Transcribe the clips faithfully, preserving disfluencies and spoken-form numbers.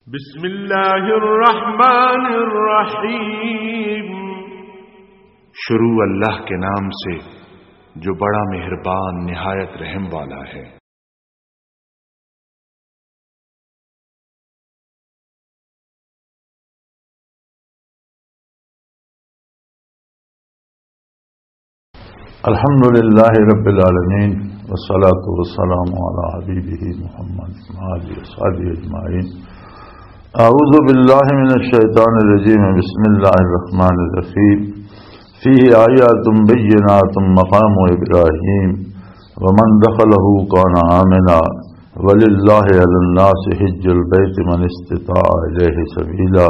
بسم اللہ الرحمن الرحیم۔ شروع اللہ کے نام سے، جو بڑا مہربان، نہایت رحم والا ہے۔ الحمد لله رب العالمين، والصلاة والسلام على حبيبه محمد وعلى آله وصحبه أجمعين. أعوذ بالله من الشيطان الرجيم. بسم الله الرحمن الرحيم. فيه آيات بينات مقام إبراهيم ومن دخله كان آمنا ولله على الناس حج البيت من استطاع إليه سبيلا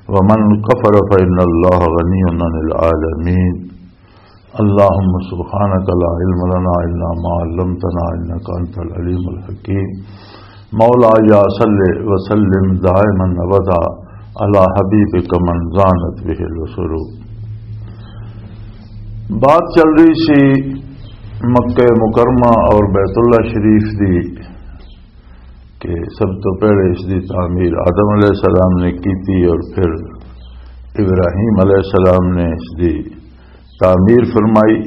ومن كفر فإن الله غني عن العالمين. اللهم سبحانك لا علم لنا إلا ما علمتنا إنك أنت العليم الحكيم. مولاي صل وسلم دائما أبدا على حبيبك من زانت به العصور. بات چل رہی سی مکہ مکرمہ اور بیت اللہ شریف دی، کہ سب تو پہلے اس دی تعمیر آدم علیہ السلام نے کی تھی اور پھر ابراہیم علیہ السلام نے اس دی تعمیر فرمائی۔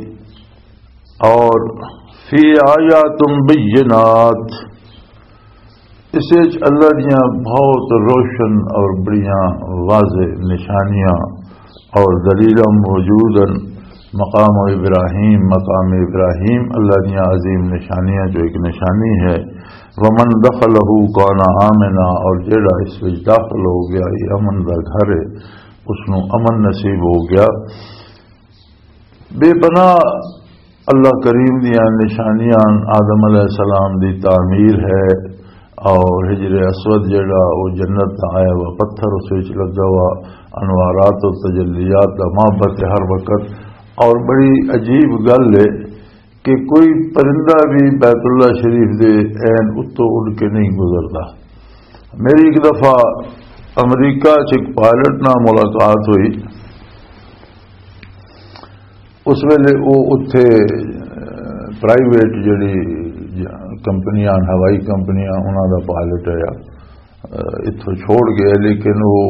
اور فی آیات بینات، اس وچ اللہ دیاں بہت روشن اور بڑیاں واضح نشانیاں اور دلیلاں موجود ہیں۔ مقام ابراہیم، مقام ابراہیم اللہ دیاں عظیم نشانیاں چوں ایک نشانی ہے۔ ومن دخلہ کان آمنا، اور جیڑا اس وچ داخل ہو گیا، یہ امن دا گھر ہے، اس نوں امن نصیب ہو گیا۔ بے پناہ اللہ کریم دیاں نشانیاں آدم علیہ السلام دی تعمیر ہے، اور حجر اسود جڑا وہ جنت دا آیا ہوا پتھر، اس وچ لگا ہوا انوارات و تجلیات دا معبد ہے ہر وقت۔ اور بڑی عجیب گل ہے کہ کوئی پرندہ بھی بیت اللہ شریف دے عین اتوں اڑ کے نہیں گزردا۔ میری ایک دفعہ امریکہ چ ایک پائلٹ نال ملاقات ہوئی۔ اس ویلے وہ اتھے، اہ، پرائیویٹ جڑی ج-، کمپنیاں، ہوائی کمپنیاں، انہاں دا پائلٹ ہے۔ اہ، اتھوں چھوڑ گئے، لیکن وہ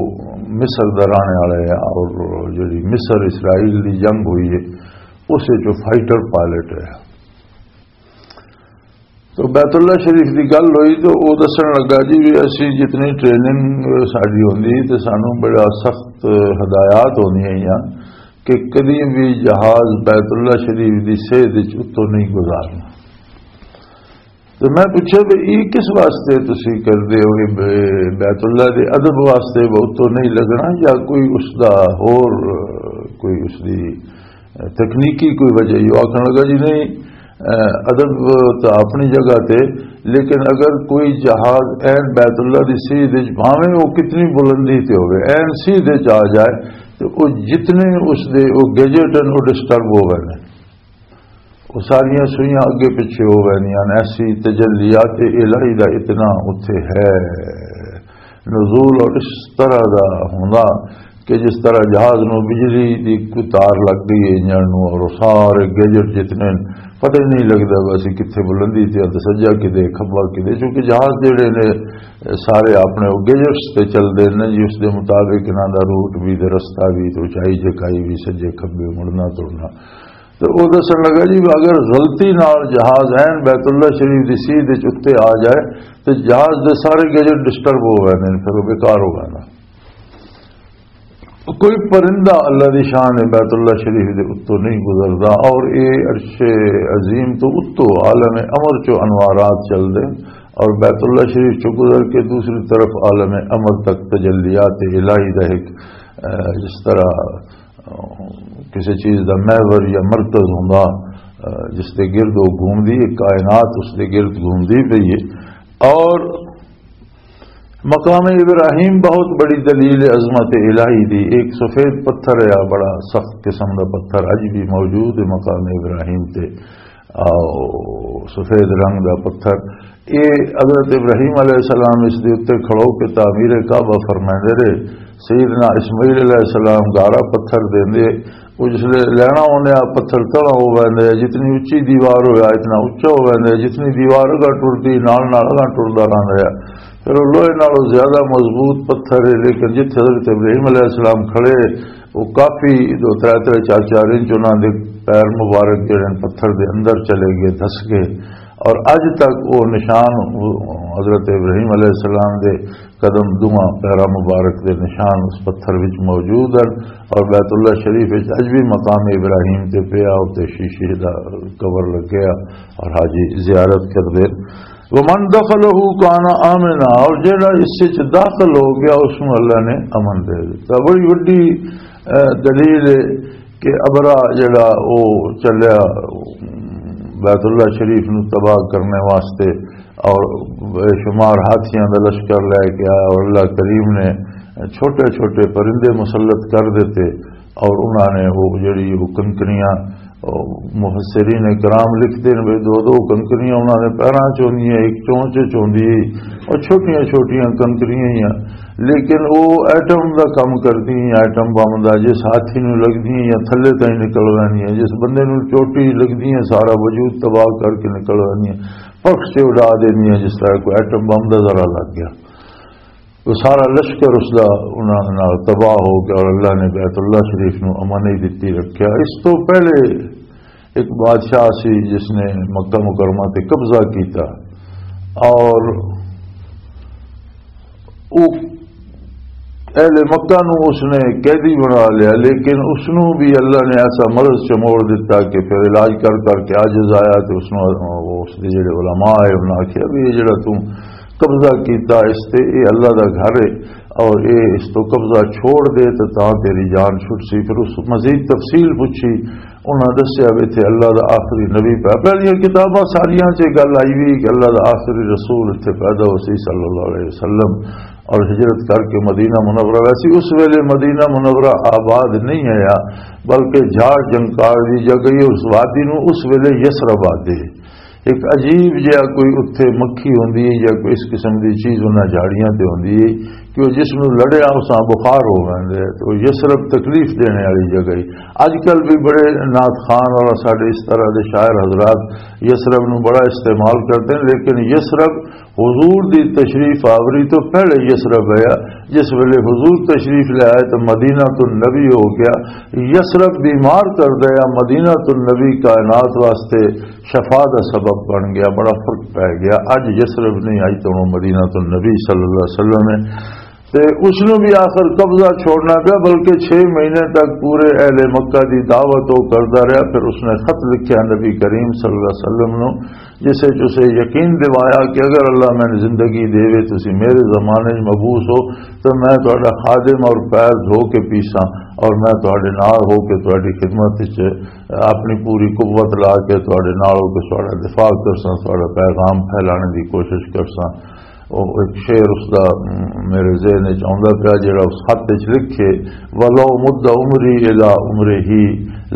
مصر دا رہنے والا ہے اور جڑی مصر اسرائیل دی جنگ ہوئی ہے، اس وچ وہ فائٹر پائلٹ ہے۔ تو بیت اللہ شریف دی گل ہوئی تو وہ دسن لگا جی، بھی اسی جتنی ٹریننگ ساری ہوندی تے سانو بڑا سخت ہدایات ہوندیاں ہیاں کہ کدی بھی جہاز بیت اللہ شریف دی سیدھ وچ اتوں نہیں گزارنا۔ تو میں پوچھا بھی یہ کس واسطے تسی کردے ہو، یہ بے-، بیت اللہ دے ادب واسطے وہ اتوں نہیں لگنا یا کوئی اس دا ہور کوئی اس دی تکنیکی کوئی وجہ ہی؟ وہ آکھن لگا جی نہیں، اہ، ادب تو اپنی جگہ تے، لیکن اگر کوئی جہاز عین بیت اللہ دی سیدھ وچ، بھاویں وہ کتنی بلندی تے ہوئے، عین سیدھ وچ آ جائے تو وہ جتنے اس دے وہ گیجٹ ہیں وہ ڈسٹرب ہو گئے ہیں، وہ ساریاں سوئیاں اگے پیچھے ہو گئے ہیں۔ ایسی تجلیات الہی دا اتنا اتھے ہے، نزول اور اس طرح دا ہوندا کہ جس طرح جہاز نو بجلی دی کوئی تار لگ گئی ہے انجن نو، اور سارے گیجٹ جتنے پتہ ہی نہیں لگدا ویسے کتھے بلندی تے تے سجا کدے کھبا کدے، چونکہ جہاز جڑے نے سارے اپنے او گیجٹس تے چلدے نے جی، اس دے مطابق انہاں دا روٹ بھی تے رستہ بھی تے اونچائی جھکائی بھی سجے کھبے مڑنا توڑنا۔ تے او دسن لگا جی، اگر غلطی نال جہاز عین بیت اللہ شریف دی سیدھ وچ اتے آ جائے تے جہاز دے سارے گیجٹ ڈسٹرب ہو گئے نے، پھر وہ بیکار ہو گئے نا۔ کوئی پرندہ اللہ دی شان بیت اللہ شریف دے اتوں نہیں گزردا، اور اے عرش عظیم تو اتوں عالم امر چو انوارات چل دے، اور بیت اللہ شریف چو گزر کے دوسری طرف عالم امر تک تجلیات الہی دا ایک، اہ، جس طرح، اہ، کسی چیز دا محور یا مرکز ہوندا، اہ، جس دے گرد وہ گھومدی ہے، کائنات اس دے گرد گھومدی پئی ہے۔ اور مقام ابراہیم بہت بڑی دلیل عظمت الہی دی۔ ایک سفید پتھر ہے، بڑا سخت قسم دا پتھر اج بھی موجود ہے مقام ابراہیم تے۔ آؤ، سفید رنگ دا پتھر۔ اے حضرت ابراہیم علیہ السلام اس دے اُتے کھڑو کے تعمیر کعبہ فرمائندے رہے۔ سیدنا اسماعیل علیہ السلام گارا پتھر دیندے، وہ جس لے لینا ہونے آ، پتھر تڑا ہو ویندے آ، جتنی اچی دیوار ہویا، اتنا اچا ہو ویندے آ، جتنی دیوار اگا ٹردی، نال نال اگا ٹردا رہندا آ۔ پھر وہ لوہے نالوں زیادہ مضبوط پتھر ہے، لیکن جتھے حضرت ابراہیم علیہ السلام کھڑے، وہ کافی دو ترے ترے چار چار انچ انہاں دے پیر مبارک جڑے نے پتھر دے اندر چلے گئے، دھس گئے۔ اور اج تک وہ نشان حضرت ابراہیم علیہ السلام دے قدم، دواں پیراں مبارک دے نشان اس پتھر وچ موجود ہیں۔ اور بیت اللہ شریف وچ اج بھی مقام ابراہیم تے پیا، تے شیشے دا کور لگیا اور حاجی زیارت کردے۔ ومن دخلہ کان آمنا، اور جڑا اس وچ داخل ہو گیا، اس نوں اللہ نے امن دے دتا۔ بڑی وڈی، اے، دلیل ہے کہ ابرا جڑا او چلیا بیت اللہ شریف نو تباہ کرنے واسطے، اور بے شمار ہاتھیاں دا لشکر لے کے آیا، اور اللہ کریم نے چھوٹے چھوٹے پرندے مسلط کر دیتے، اور انہاں نے وہ جڑی وہ کنکریاں، او مفسرین کرام لکھتے ہیں، بھی دو دو کنکریاں انہاں نے پیراں چ ہوندیاں، ایک چونچ چ ہوندی ہے، اور چھوٹیاں چھوٹیاں کنکریاں ہی آ، لیکن وہ ایٹم دا کم کردی ہیں، ایٹم بم دا، جس ہاتھی نو لگدی ہیں یا تھلے تائیں نکل ویندی ہیں، جس بندے نو چوٹی لگدی ہیں، سارا وجود تباہ کر کے نکل ویندی ہیں، پکھ سے اڑا دیندی ہیں، جس طرح کوئی ایٹم بم دا ذرا لگ گیا۔ وہ سارا لشکر اس دا انہاں نال تباہ ہو گیا، اور اللہ نے بیت اللہ شریف نو امن ہی دتی رکھیا۔ اس تو پہلے ایک بادشاہ سی جس نے مکہ مکرمہ تے قبضہ کیتا، اور وہ اہل مکہ نو اس نے قیدی بنا لیا، لیکن اس نو بھی اللہ نے ایسا مرض چموڑ دیتا کہ پھر علاج کر کر کے عاجز آیا، تے اس نو اس دے جڑے علماء آئے، انہاں آکھیا بھی یہ جڑا توں قبضہ کیتا اس تے، یہ اللہ دا گھر ہے، اور یہ اس تو قبضہ چھوڑ دے تے تاں تیری جان چھٹ سی۔ پھر اس مزید تفصیل پوچھی، انہاں دسیا بھی اتھے اللہ دا آخری نبی پیا۔ پہلیاں کتاباں ساریاں چ گل آئی ہوئی کہ اللہ دا آخری رسول اتھے پیدا ہو سی صلی اللہ علیہ وسلم، اور ہجرت کر کے مدینہ منورہ۔ ویسے اس ویلے مدینہ منورہ آباد نہیں آیا، بلکہ جھاڑ جنکار دی جگہ ہی اس وادی نو اس ویلے یثرب آدے۔ ایک عجیب جہا کوئی اتھے مکھی ہوندی ہے یا کوئی اس قسم دی چیز انہاں جھاڑیاں تے ہوندی ہے کہ وہ جس نوں لڑیا اس نال بخار ہو ویندے، تو یثرب تکلیف دینے والی جگہ ہے۔ اج کل بھی بڑے نعت خوان اور ساڈے اس طرح دے شاعر حضرات یثرب نوں بڑا استعمال کرتے ہیں، لیکن یثرب حضور دی تشریف آوری تو پہلے یثرب ہے۔ جس ویلے حضور تشریف لے آئے تو مدینہ النبی ہو گیا۔ یثرب بیمار کر دیا، مدینہ النبی کائنات واسطے شفا دا سبب بن گیا، بڑا فرق پی گیا۔ اج یثرب نہیں، اج تو مدینہ النبی صلی اللہ علیہ وسلم ہے۔ تے اس نو بھی آخر قبضہ چھوڑنا پیا، بلکہ چھ مہینے تک پورے اہل مکہ دی دعوت وہ کردا رہیا۔ پھر اس نے خط لکھیا نبی کریم صلی اللہ علیہ وسلم نو، جس وچ اسے یقین دوایا کہ اگر اللہ میں زندگی دے، تسی میرے زمانے وچ مبعوث ہو، تو میں تہاڈا خادم اور پیر دھو کے پیساں، اور میں تہاڈے نال ہو کے تہاڈی خدمت وچ اپنی پوری قوت لا کے تہاڈے نال ہو کے تہاڈا دفاع کرساں، تہاڈا پیغام پھیلانے دی کوشش کرساں۔ او ایک شعر اس دا، م، میرے ذہن وچ آوندا پیا، جڑا اس خط وچ لکھے، "ولو مد عمری الی عمرہ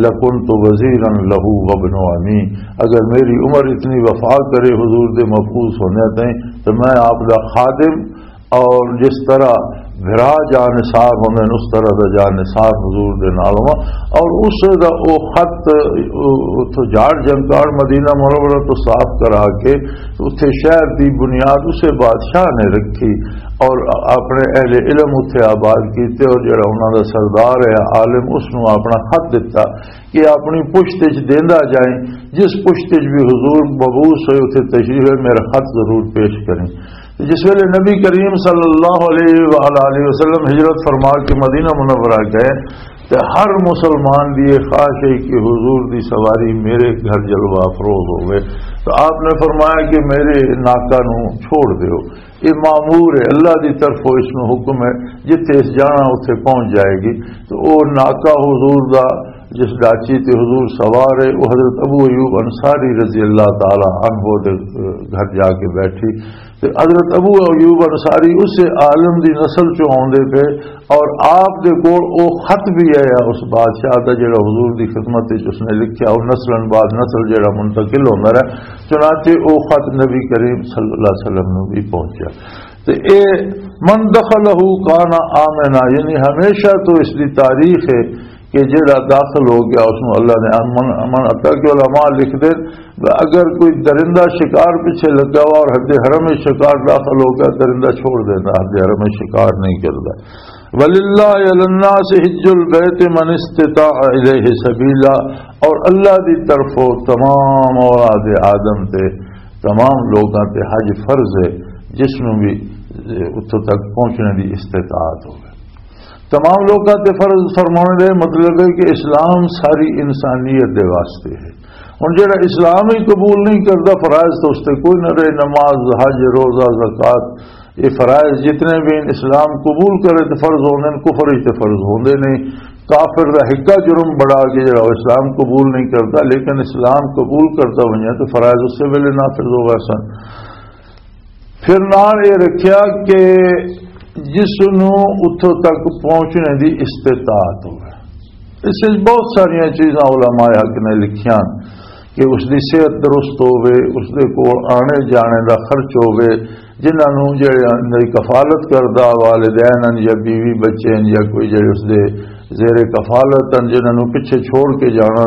لکنت وزیرا لہ وابن عمی"، اگر میری عمر اتنی وفا کرے حضور دے مبعوث ہونے تائیں، تو میں آپ دا خادم اور جس طرح بھرا جاں نثار ہوندے نے، اس طرح دا جاں نثار حضور دے نال ہوا۔ اور اس دا او خط، او، اتھوں جاڑ جنکاڑ مدینہ منورہ تو صاف کرا کے اتھے شہر دی بنیاد اسے بادشاہ نے رکھی اور اپنے اہل علم اتھے آباد کیتے، اور جڑا انہاں دا سردار ہے عالم، اس نوں اپنا خط دتا کہ اپنی پشت وچ دیندا جائیں، جس پشت وچ بھی حضور مبعوث ہوئے اتھے تشریف ہے، میرا خط ضرور پیش کریں۔ جس ویلے نبی کریم صلی اللہ علیہ وآلہ وسلم ہجرت فرما کے مدینہ منورہ گئے، تو ہر مسلمان دی یہ خواہش ہے کہ حضور دی سواری میرے گھر جلوہ افروز ہوئے۔ تو آپ نے فرمایا کہ میرے ناکا نو چھوڑ دیو، یہ مامور ہے، اللہ دی طرفوں اس نو حکم ہے، جتھے اس جانا اتھے پہنچ جائے گی۔ تو او ناکا حضور دا جس ڈاچی تے حضور سوار ہے، وہ حضرت ابو ایوب انصاری رضی اللہ تعالی عنہ دے گھر جا کے بیٹھی۔ تے حضرت ابو ایوب انصاری اس عالم دی نسل چوں آوندے پے، اور آپ دے کول او خط بھی آیا اس بادشاہ دا، جڑا حضور دی خدمت وچ اس نے لکھیا، او نسلاً بعد نسل جڑا منتقل ہوندا رہا، چنانچہ او خط نبی کریم صلی اللہ علیہ وسلم نوں بھی پہنچیا۔ تے اے "من دخلہ کان آمنا"، یعنی ہمیشہ تو اس دی تاریخ ہے کہ جڑا داخل ہو گیا، اس نوں اللہ نے امن، امن عطا۔ کہ علماء لکھ دے، اگر کوئی درندہ شکار پیچھے لگا ہوا اور حد حرم شکار داخل ہو گیا، درندہ چھوڑ دینا، حد حرم شکار نہیں کرتا۔ وَلِلَّهِ عَلَى النَّاسِ حِجُّ الْبَيْتِ مَنِ اسْتَطَاعَ إِلَيْهِ سَبِيلًا، اور اللہ دی طرفوں تمام اولاد آدم تے، تمام لوگاں تے حج فرض ہے، جس نوں بھی اتھوں تک پہنچنے دی استطاعت ہوگی۔ تمام لوگاں تے فرض فرمانے دا مطلب ہے کہ اسلام ساری انسانیت دے واسطے ہے۔ ہن جڑا اسلام ہی قبول نہیں کردا، فرائض تو اس تے کوئی نہ رہے، نماز، حج، روزہ، زکوٰۃ، یہ فرائض جتنے بھی اسلام قبول کرے تو فرض ہوندے نے، کفر ہی تے فرض ہوندے نہیں۔ کافر دا ہکا جرم بڑا کہ جڑا وہ اسلام قبول نہیں کرتا، لیکن اسلام قبول کرتا ہوئے تو فرائض اسی ویلے نافذ ہو گئے سن۔ پھر نال یہ رکھیا کہ جس نوں اتھوں تک پہنچنے دی استطاعت ہوئے۔ اس وچ بہت ساریاں چیزاں علماء حق نے لکھیاں کہ اس دی صحت درست ہووے، اس دے کول آنے جانے دا خرچ ہووے، جنہاں نوں جڑے اندر کفالت کردا، والدین ہن یا بیوی بچے ہن یا کوئی جڑے اس دے زیر کفالت ہن، جنہاں نوں پچھے چھوڑ کے جانا،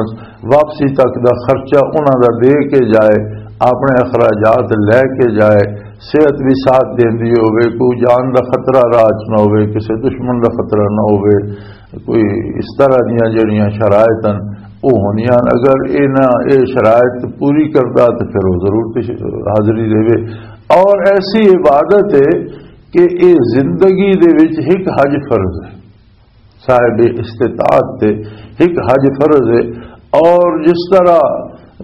واپسی تک دا خرچہ انہاں دا دے کے جائے، اپنے اخراجات لے کے جائے، صحت بھی ساتھ دیندی ہووے، کوئی جان دا خطرہ راہ چ نہ ہووے، کسے دشمن دا خطرہ نہ ہووے، کوئی اس طرح دیاں جڑیاں شرائط ہن، او ہونیاں۔ اگر اے نہ، اے شرائط پوری کردا تے پھر او ضرور تش-، حاضری دے۔ اور ایسی عبادت ہے کہ اے زندگی دے وچ ایک حج فرض ہے، صاحب استطاعت تے ایک حج فرض ہے۔ اور جس طرح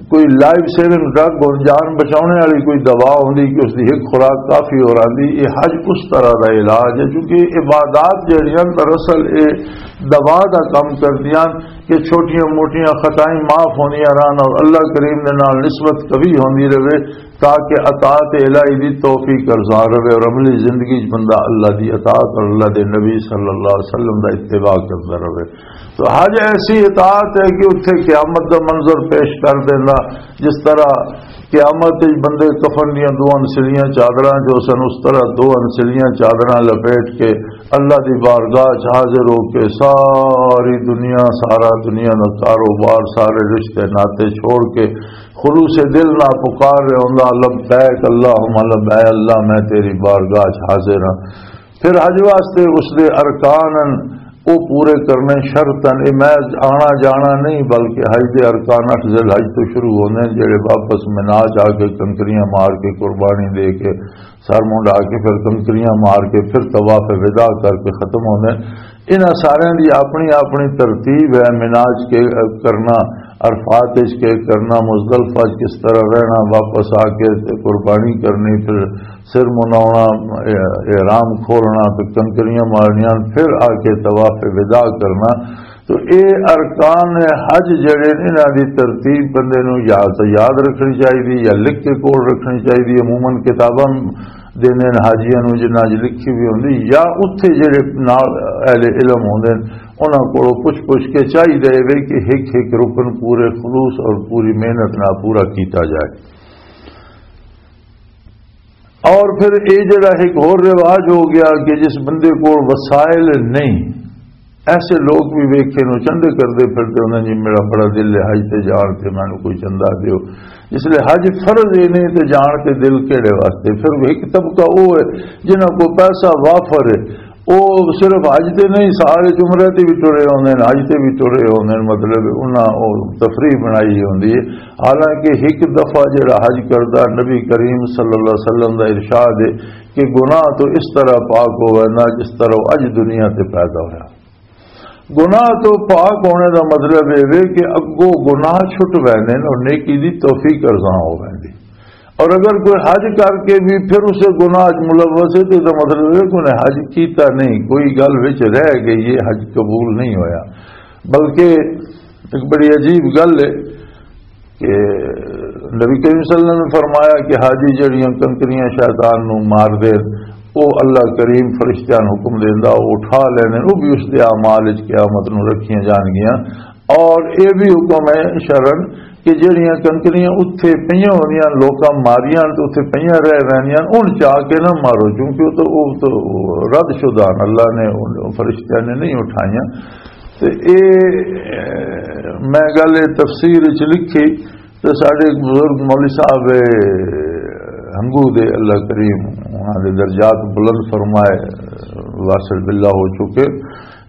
کوئی لائف سیونگ ڈرگ اور جان بچانے والی کوئی دوا ہوندی کہ اس دی ایک خوراک کافی ہو رہی، یہ حج اس طرح دا علاج ہے، کیونکہ عبادات جڑیاں دراصل یہ دوا دا کم کردیاں کہ چھوٹیاں موٹیاں خطائیں معاف ہوندیاں رہن اور اللہ کریم دے نال نسبت قوی ہوندی رہے، تاکہ اطاعت الہی دی توفیق ارزان رہے اور عملی زندگی چ بندہ اللہ دی اطاعت اور اللہ دے نبی صلی اللہ علیہ وسلم دا اتباع کردا رہے۔ تو حج ایسی اطاعت ہے کہ اتھے قیامت دا منظر پیش کر دینا، جس طرح قیامت وچ بندے کفن دیاں دو انسلیاں چادراں جو سن، اس طرح دو انسلیاں چادراں لپیٹ کے اللہ دی بارگاہ چ حاضر ہو کے ساری دنیا، سارا دنیا دا کاروبار، سارے رشتے ناطے چھوڑ کے خلوص دل نہ پکار رہے ہوندا، "لبیک اللہم لبیک، اللہ میں تیری بارگاہ چ حاضر ہاں۔" پھر حج واسطے اس دے ارکان ہن، او پورے کرنے شرط ہن۔ اے میں آنا جانا نہیں، بلکہ حج دے ارکان اٹھ ذی الحج تو شروع ہوندے نے، جڑے واپس منا جا کے کنکریاں مار کے قربانی دے کے سر منڈا کے پھر کنکریاں مار کے پھر طواف وداع کر کے ختم ہوندے نے۔ انہاں ساریاں دی اپنی اپنی ترتیب ہے، منا چ کے کرنا، عرفات چ کے کرنا، مزدلفہ چ کس طرح رہنا، واپس آ کے تے قربانی کرنی، پھر سر مناونا، احرام کھولنا، پھر کنکریاں مارنیاں، پھر آ کے طواف وداع کرنا۔ تو اے ارکان حج جڑے نے، انہاں دی ترتیب بندے نوں یا تو یاد رکھنی چاہیے یا لکھ کے کول رکھنی چاہیے۔ عموماً کتاباں دیندے نے حاجیاں نوں، جنہاں 'چ لکھی بھی ہوندی، یا اتھے جڑے نال اہل علم ہوندے نے، انہاں کولوں پچھ پچھ کے چاہیے وے کہ ایک ایک رکن پورے خلوص اور پوری محنت نال پورا کیتا جائے۔ اور پھر یہ جڑا ایک اور رواج ہو گیا کہ جس بندے کول وسائل نہیں، ایسے لوگ بھی ویکھے نو چندے کردے پھردے ہوندے، "جی میرا بڑا دل ہے حج تے جان تے، مینوں کوئی چندہ دیو۔" اس لیے حج فرض ہی نہیں تے جان تے دل کیڑے واسطے؟ پھر ایک طبقہ وہ ہے جنہاں کو پیسہ وافر ہے، وہ صرف حج تے نہیں، سارے عمرے تے بھی ٹرے ہوندے نے، حج تے بھی ٹرے ہوندے نے، مطلب انہاں وہ تفریح بنائی ہوندی ہے۔ حالانکہ ایک دفعہ جڑا حج کردا، نبی کریم صلی اللہ علیہ وسلم دا ارشاد ہے کہ گناہ تو اس طرح پاک ہو وینا جس طرح وہ اج دنیا تے پیدا ہویا۔ گناہ تو پاک ہونے دا مطلب یہ وے کہ اگوں گناہ چھٹ ویندے نے اور نیکی دی توفیق ارزاں ہو ویندی۔ اور اگر کوئی حج کر کے بھی پھر اسے گناہ وچ ملوث ہے تو اس دا مطلب یہ کہ انہیں حج کیتا نہیں، کوئی گل وچ رہ گئی، یہ حج قبول نہیں ہویا۔ بلکہ ایک بڑی عجیب گل ہے کہ نبی کریم صلی اللہ علیہ وسلم نے فرمایا کہ حاجی جڑیاں کنکریاں شیطان نو مار دے، او اللہ کریم فرشتیاں نو حکم دیندا، او اٹھا لینے، او بھی اس دے اعمال وچ قیامت نو رکھیاں جان گیاں۔ اور اے بھی حکم ہے شرعن کہ جڑیاں کنکریاں اتھے پئیاں ہوندیاں، لوکاں ماریاں تے اتھے پئیاں رہ ویندیاں، ان چا کے نہ مارو، کیونکہ او تو، او تو رد شدہ ہن، اللہ نے، فرشتیاں نے نہیں اٹھائیاں۔ تے اے، میں گل اے تفسیر وچ لکھی، تے ساڈے ایک بزرگ مولوی صاحب اے ہنگو دے، اللہ کریم انہاں دے درجات بلند فرمائے، واصل باللہ ہو چکے۔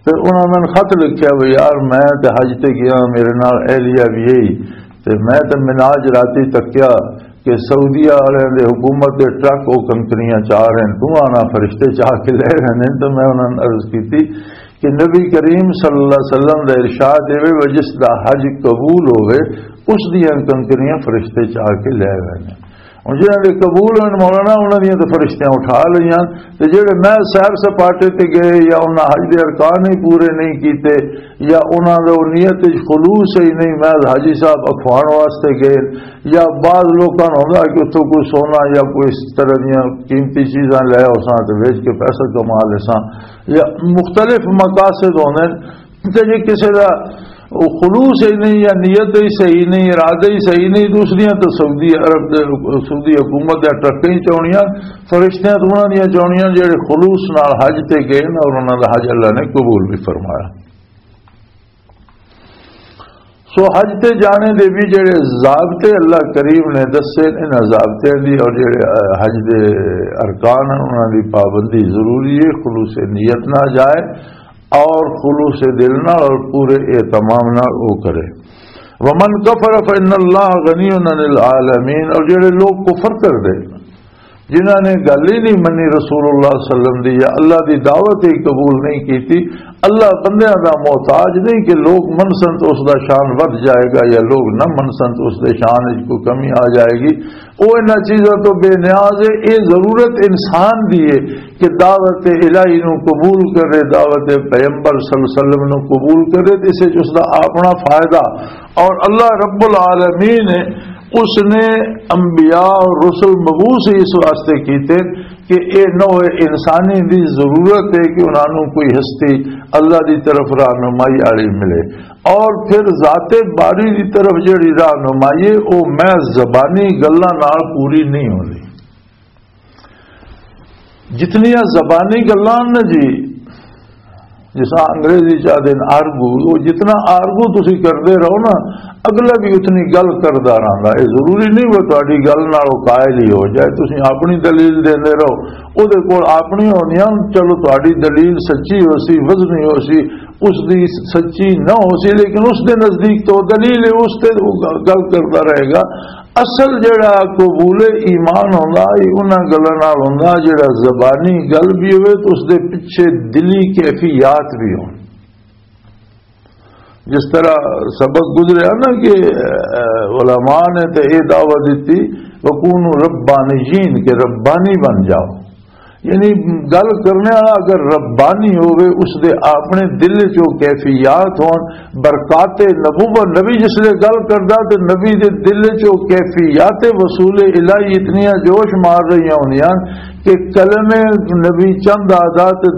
تے انہاں نے خط لکھیا، "وی یار، میں تے حج تے گیا، میرے نال اہلیہ بھی گئی، تے میں تے مناج راتی تکیا کہ سعودیہ والے دے حکومت دے ٹرک او کنکریاں چاہ رہے ہیں، تو آنا فرشتے چاہ کے لے رہے ہیں۔" تو میں انہاں نے عرض کیتی کہ نبی کریم صلی اللہ علیہ وسلم دا ارشاد اے وے، "جس دا حج قبول ہوئے، اس دیاں کنکریاں فرشتے چاہ کے لے رہے ہیں۔" ہن جنہاں دے قبول ہن مولانا، انہاں دیاں تے فرشتیاں اٹھا لئیاں، تے جڑے محض سیر سپاٹے تے گئے یا انہاں حج دے ارکان ہی پورے نہیں کیتے، یا انہاں دے نیت وچ خلوص ہی نہیں، محض حاجی صاحب اکھوان واسطے گئے، یا بعض لوکاں نوں ہوندا کہ اتھوں کوئی سونا یا کوئی اس طرح دیاں قیمتی چیزاں لے آؤساں تے ویچ کے پیسہ کما لیساں، یا مختلف مقاصد ہوندے نے۔ تے جے کسے دا او خلوص ہی نہیں یا نیت ہی صحیح نہیں، ارادہ ہی صحیح نہیں، تو اس دیاں تو سعودی عرب دے، سعودی حکومت دے ٹرکیں چاونیاں، فرشتیاں تو انہاں دیاں چاونیاں جڑے خلوص نال حج تے گئے نا، اور انہاں دا حج اللہ نے قبول بھی فرمایا۔ سو حج تے جانے دے بھی جڑے ضابطے اللہ کریم نے دسے، انہاں ضابطیاں دی اور جڑے، اہ، حج دے ارکان ہیں، انہاں دی پابندی ضروری ہے، خلوص نیت نہ جائے اور خلوص دل نال اور پورے اہتمام نال او کرے۔ ومن کفر فإن اللہ غنی عن العالمین، اور جڑے لوگ کفر کر دے، جنہاں نے گل ہی نہیں منی رسول اللہ صلی اللہ علیہ وسلم دی، یا اللہ دی دعوت ہی قبول نہیں کیتی، اللہ بندیاں دا محتاج نہیں کہ لوگ منسن تو اس دا شان ودھ جائے گا یا لوگ نہ منسن تو اس دے شان وچ کوئی کمی آ جائے گی۔ او انہاں چیزاں تو بے نیاز ہے۔ اے ضرورت انسان دی ہے کہ دعوت الہی نو قبول کرے، دعوت پیغمبر صلی اللہ علیہ وسلم نو قبول کرے، تے اس وچ اس دا اپنا فائدہ۔ اور اللہ رب العالمین ہے، اس نے انبیاء اور رسول مبعوث ہی اس واسطے کیتے کہ اے نوع انسانی دی ضرورت ہے کہ انہاں نوں کوئی ہستی اللہ دی طرف رہنمائی والی ملے۔ اور پھر ذات باری دی طرف جڑی رہنمائی ہے، او میں زبانی گلاں نال پوری نہیں ہوندی۔ جتنیاں زبانی گلاں نے جی، جس انگریزی چاہتے ہیں آرگو، وہ جتنا آرگو تسی کرتے رہو نا، اگلا بھی اتنی گل کردا رہندا۔ یہ ضروری نہیں وہ تہاڈی گل نال وہ قائل ہی ہو جائے، تسی اپنی دلیل دیندے رہو، وہ دے کول اپنی ہونی ہے، چلو تہاڈی دلیل سچی ہو سی، وزنی ہو سی، اس دی سچی نہ ہو سی، لیکن اس دے نزدیک تو دلیل ہے، اس تے وہ گل کردا رہے گا۔ اصل جڑا قبول ایمان ہوندا، اے انہاں گلاں نال ہوندا، جڑا زبانی گل بھی ہوئے تو اس دے پیچھے دلی کیفیات بھی ہون۔ جس طرح سبق گزریا نا کہ، اے، علماء نے تے اے دعوت دیتی، "وکونوا ربانیین"، کہ ربانی بن جاؤ۔ یعنی گل کرنے والا اگر ربانی ہوئے، اس دے اپنے دل چ او کیفیات ہون، برکات نبوت، نبی جس لے گل کردا تے نبی دے دل چ او کیفیات وصول الہی اتنیاں جوش مار رہیاں ہوندیاں کہ کلمے نبی چند آدھا تے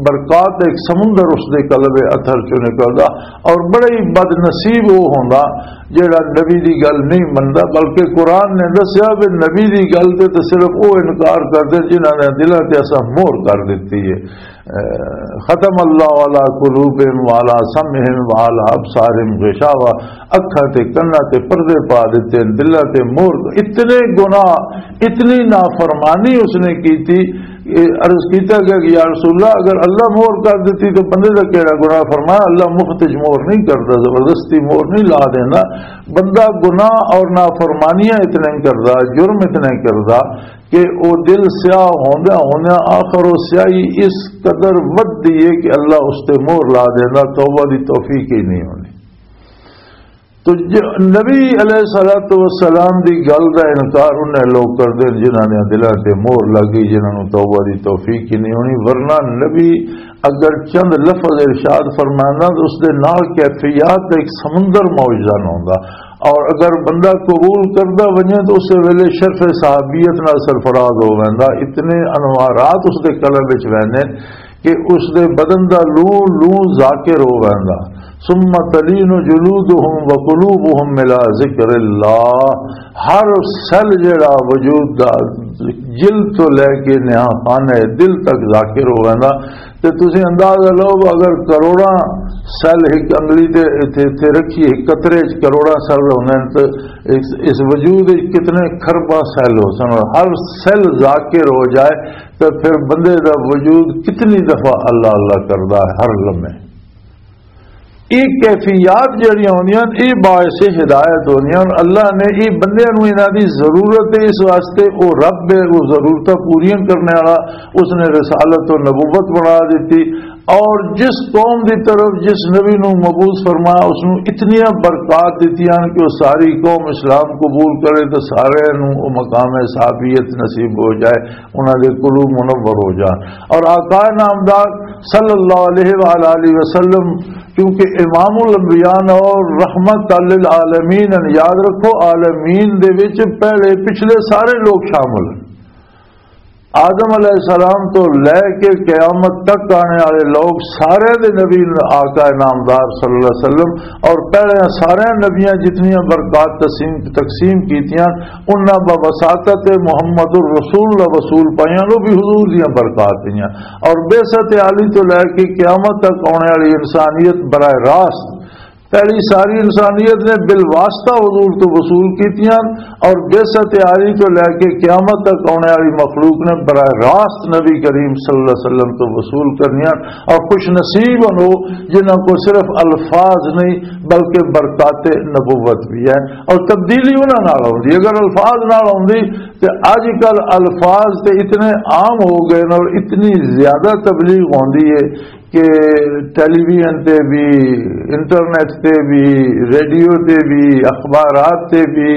برکات ایک سمندر اس دے قلب اثر چوں نکلدا۔ اور بڑا ہی بد نصیب وہ ہوندا جیڑا نبی دی گل نہیں مندا، بلکہ قرآن نے دسیا بھی نبی دی گل تے تے صرف وہ انکار کردے جنہاں نے دلاں تے اساں مہر کر دتی ہے۔ اے، ختم اللہ علی قلوبہم وعلی سمعہم وعلی ابصارہم غشاوہ، اکھاں تے کناں تے پردے پا دتے ہیں، دلاں تے مہر۔ اتنے گناہ، اتنی نافرمانی اس نے کی تھی۔ اے عرض کیتا گیا کہ یا رسول اللہ، اگر اللہ مہر کر دیتی تو بندے دا کیڑا گناہ؟ فرمایا، اللہ مفت وچ مہر نہیں کردا، زبردستی مہر نہیں لا دیندا۔ بندہ گناہ اور نافرمانیاں اتنے کردا، جرم اتنے کردا کہ او دل سیاہ ہوندے ہوندے آخر او سیاہی اس قدر ودھدی ہے کہ اللہ اس تے مہر لا دیندا، توبہ دی توفیق ہی نہیں ہونی۔ تو ج-، نبی علیہ الصلوۃ والسلام دی گل دا انکار انہیں لوگ کردے ہیں جنہاں نے دلاں تے مہر لگ گئی، جنہاں نوں توبہ دی توفیق ہی نہیں ہونی۔ ورنہ نبی اگر چند لفظ ارشاد فرمانا تو اس دے نال کیفیات دا ایک سمندر موجزن ہوندا، اور اگر بندہ قبول کردا ونجے تو اس ویلے شرف صحابیت نال سرفراز ہو ویندا، اتنے انوارات اس دے قلب وچ ویندے کہ اس دے بدن دا لوں لوں ذاکر ہو ویندا۔ ثم تلین جلودہم وقلوبہم الی ذکر اللہ، ہر سیل جڑا وجود دا، جلد تو لے کے نہاں خانہ دل تک ذاکر ہو ویندا۔ تے تسی اندازہ لو، اگر کروڑاں سیل ایک انگلی دے اتھے، اتھے رکھی، ایک قطرے چ کروڑاں سیل ہوندے نے، تے اس، اس وجود وچ کتنے خرباں سیل ہو سن، اور ہر سیل ذاکر ہو جائے تو پھر بندے دا وجود کتنی دفعہ اللہ اللہ کردا ہے ہر لمحے۔ یہ کیفیات جڑیاں ہوندیاں، یہ باعث ہدایت ہوندیاں۔ اور اللہ نے یہ بندیاں نوں انہاں دی ضرورت ہے، اس واسطے وہ رب ہے، وہ ضرورتاں پوریاں کرنے والا، اس نے رسالت و نبوت بنا دیتی۔ اور جس قوم دی طرف جس نبی نو مبعوث فرمایا، اس نو اتنیاں برکات دتیاں کہ وہ ساری قوم اسلام قبول کرے تو سارے نو وہ مقام صحابیت نصیب ہو جائے، انہاں دے قلوب منور ہو جان۔ اور آقا نامدار صلی اللہ علیہ وآلہ وسلم کیونکہ امام الانبیاء اور رحمت للعالمین ہیں، یاد رکھو، عالمین دے وچ پہلے پچھلے سارے لوگ شامل ہیں۔ آدم علیہ السلام تو لے کے قیامت تک آنے والے لوگ سارے دے نبی آقا نامدار صلی اللہ علیہ وسلم، اور پہلے سارے نبیاں جتنیاں برکات تقسیم، تقسیم کیتیاں، انہاں بواسطت محمد الرسول دا وصول پائیاں، وہ بھی حضور دیاں برکات پائیاں۔ اور بعثت عالی تو لے کے قیامت تک آنے والی انسانیت براہ راست پہلی ساری انسانیت نے بالواسطہ حضور تو وصول کیتیاں، اور بعثت عالی تو لے کے قیامت تک آنے والی مخلوق نے براہ راست نبی کریم صلی اللہ علیہ وسلم تو وصول کرنیاں۔ اور خوش نصیب ہن وہ جنہاں کو صرف الفاظ نہیں بلکہ برکات نبوت بھی ہے، اور تبدیلی انہاں نال ہوندی۔ اگر الفاظ نال ہوندی تے اج کل الفاظ تے اتنے عام ہو گئے نے اور اتنی زیادہ تبلیغ ہوندی ہے کہ ٹیلی ویژن تے بھی، انٹرنیٹ تے بھی، ریڈیو تے بھی، اخبارات تے بھی،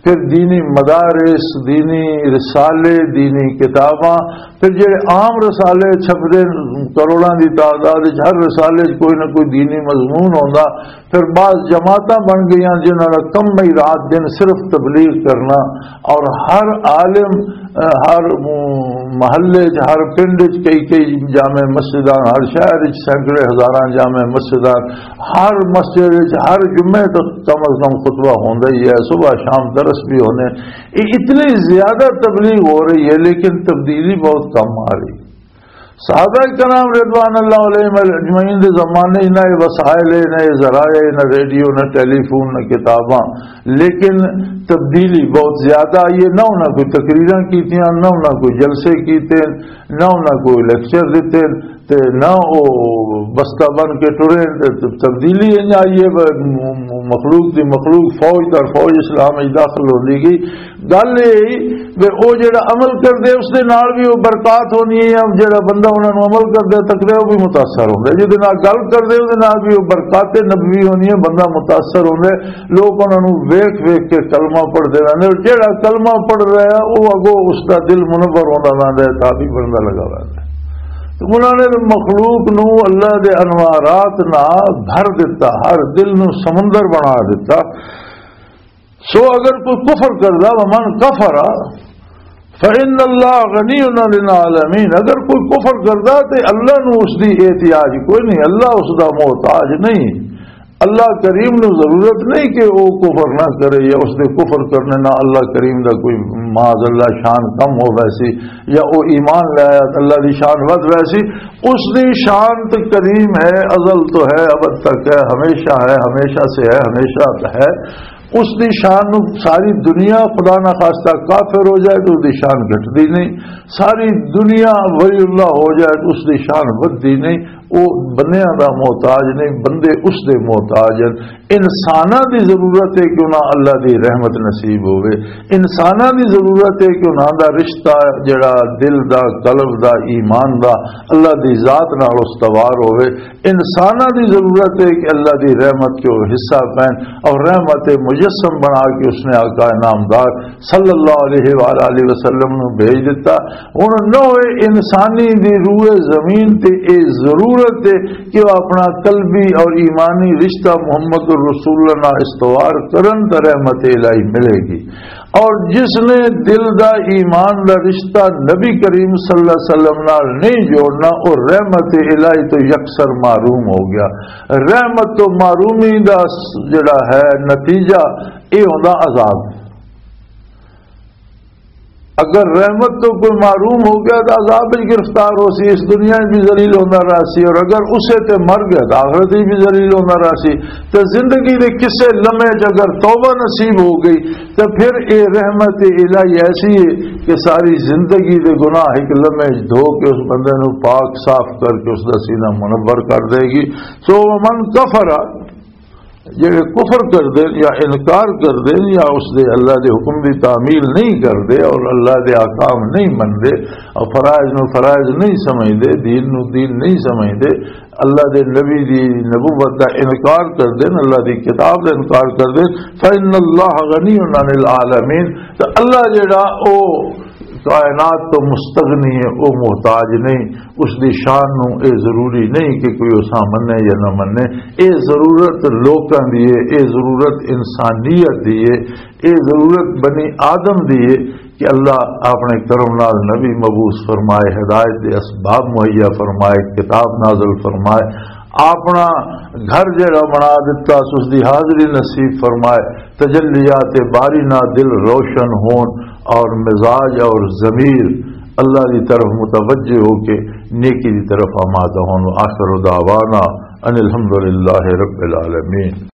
پھر دینی مدارس، دینی رسالے، دینی کتاباں، پھر جڑے عام رسالے چھپدے، کروڑاں دی تعداد وچ ہر رسالے وچ کوئی نہ کوئی دینی مضمون ہوندا۔ پھر بعض جماعتاں بن گئیاں جنہاں دا کم ہی رات دن صرف تبلیغ کرنا، اور ہر عالم، ہر محلے چ، ہر پنڈ چ کئی کئی جامع مسجداں، ہر شہر چ سینکڑے ہزاراں جامع مسجداں، ہر مسجد چ ہر جمعے تک کم از کم خطبہ ہوندا ہی ہے، صبح شام درس بھی ہونے۔ یہ اتنی زیادہ تبلیغ ہو رہی ہے، لیکن تبدیلی بہت کم آ رہی۔ صحابہ کرام رضوان اللہ علیہم اجمعین دے زمانے نہ یہ وسائل ہے، نہ یہ ذرائع، نہ ریڈیو، نہ ٹیلی فون، نہ کتاباں، لیکن تبدیلی بہت زیادہ آئی ہے۔ نہ انہاں کوئی تقریراں کیتیاں، نہ انہاں کوئی جلسے کیتے، نہ انہاں کوئی لیکچر دتے، تے نہ او بستہ بن کے ٹرے۔ تے تبدیلی انج آئی ہے، م-، م-، مخلوق دی مخلوق، فوج در فوج اسلام وچ داخل ہوندی گئی۔ گل یہ ہی کہ او جڑا عمل کردے، اس دے نال بھی او برکات ہونی ہے، جڑا بندہ انہاں نوں عمل کردے تکدے، او بھی متاثر ہوندا ہے۔ جس دے نال گل کردے، اس دے نال بھی او برکات نبوی ہونی ہے، بندہ متاثر ہوندا ہے۔ لوگ انہاں نوں ویکھ ویکھ کے کلمہ پڑھدے رہندے، اور جڑا کلمہ پڑھ رہا ہے، او اگوں اس دا دل منور ہوندا رہندا ہے، تابع بندا لگا رہندا ہے۔ تو انہاں نے مخلوق نوں اللہ دے انوارات نال بھر دتا، ہر دل نوں سمندر بنا دتا۔ سو اگر کوئی کفر کردا، ومن کفر فإن اللہ غنی عن العالمین، اگر کوئی کفر کردا تے اللہ نو اس دی احتیاج کوئی نہیں، اللہ اس دا محتاج نہیں۔ اللہ کریم نو ضرورت نہیں کہ وہ کفر نہ کرے یا اس دے کفر کرنے نہ اللہ کریم دا کوئی معاذ اللہ شان کم ہو ویسی، یا وہ ایمان لے آیا تے اللہ دی شان ود ویسی۔ اس دی شان تے کریم ہے، ازل تو ہے، ابد تک ہے، ہمیشہ ہے، ہمیشہ سے ہے، ہمیشہ ہے۔ اس دی شان نو ساری دنیا خدا نہ خواستہ کافر ہو جائے تو اس دی شان گھٹدی نہیں، ساری دنیا ولی اللہ ہو جائے تو اس دی شان ودھدی نہیں۔ وہ بندیاں دا محتاج نہیں، بندے اس دے محتاج ہیں۔ انساناں دی ضرورت ہے کہ انہاں اللہ دی رحمت نصیب ہوئے، انساناں دی ضرورت ہے کہ انہاں دا رشتہ جڑا دل دا، قلب دا، ایمان دا اللہ دی ذات نال استوار ہوئے۔ انساناں دی ضرورت ہے کہ اللہ دی رحمت کے وہ حصہ پہن اور رحمت مجسم بنا کے اس نے آقا نامدار صلی اللہ علیہ وآلہ وسلم نو بھیج دیتا۔ ہن نوع انسانی دی روئے زمین تے اے ضرورت ہے کہ وہ اپنا قلبی اور ایمانی رشتہ محمد الرسول اللہ نال استوار کرن تے رحمت الہی ملے گی۔ اور جس نے دل دا ایمان دا رشتہ نبی کریم صلی اللہ علیہ وسلم نال نہیں جوڑنا، وہ رحمت الہی تو یکسر محروم ہو گیا۔ رحمت تو محرومی دا س-، جڑا ہے نتیجہ، یہ ہوندا عذاب۔ اگر رحمت تو کوئی محروم ہو گیا تو عذاب وچ گرفتار ہو سی، اس دنیا وچ بھی ذلیل ہوندا رہا سی، اور اگر اسے تے مر گیا تو آخرت وچ بھی ذلیل ہوندا رہا سی۔ تے زندگی دے کسے لمحے وچ اگر توبہ نصیب ہو گئی، تے پھر اے رحمت الہی ایسی ہے کہ ساری زندگی دے گناہ ایک لمحے وچ دھو کے اس بندے نو پاک صاف کر کے اس دا سینہ منور کر دے گی۔ سو من کفر، جڑے کفر کر دے یا انکار کر دے یا اس دے اللہ دے حکم دی تعمیل نہیں کر دے اور اللہ دے احکام نہیں من دے اور فرائض نو فرائض نہیں سمجھ دے، دین نو دین نہیں سمجھ دے، اللہ دے نبی دی نبوت دا انکار کر دے، اللہ دی کتاب دا انکار کر دے، فإن اللہ غنی عن العالمین، تو اللہ جڑا او کائنات تو مستغنی ہے، او محتاج نہیں، اس دی شان نو اے ضروری نہیں کہ کوئی اساں منے یا نہ منے۔ اے ضرورت لوکاں دی ہے، اے ضرورت انسانیت دی ہے، اے ضرورت بنی آدم دی ہے کہ اللہ اپنے کرم نال نبی مبعوث فرمائے، ہدایت دے اسباب مہیا فرمائے، کتاب نازل فرمائے، اپنا گھر جڑا بنا دتا، اس دی حاضری نصیب فرمائے، تجلیات باری نہ دل روشن ہون اور مزاج اور ضمیر اللہ دی طرف متوجہ ہو کے نیکی دی طرف آمادہ ہون۔ آخر دعوانا ان الحمدللہ رب العالمین۔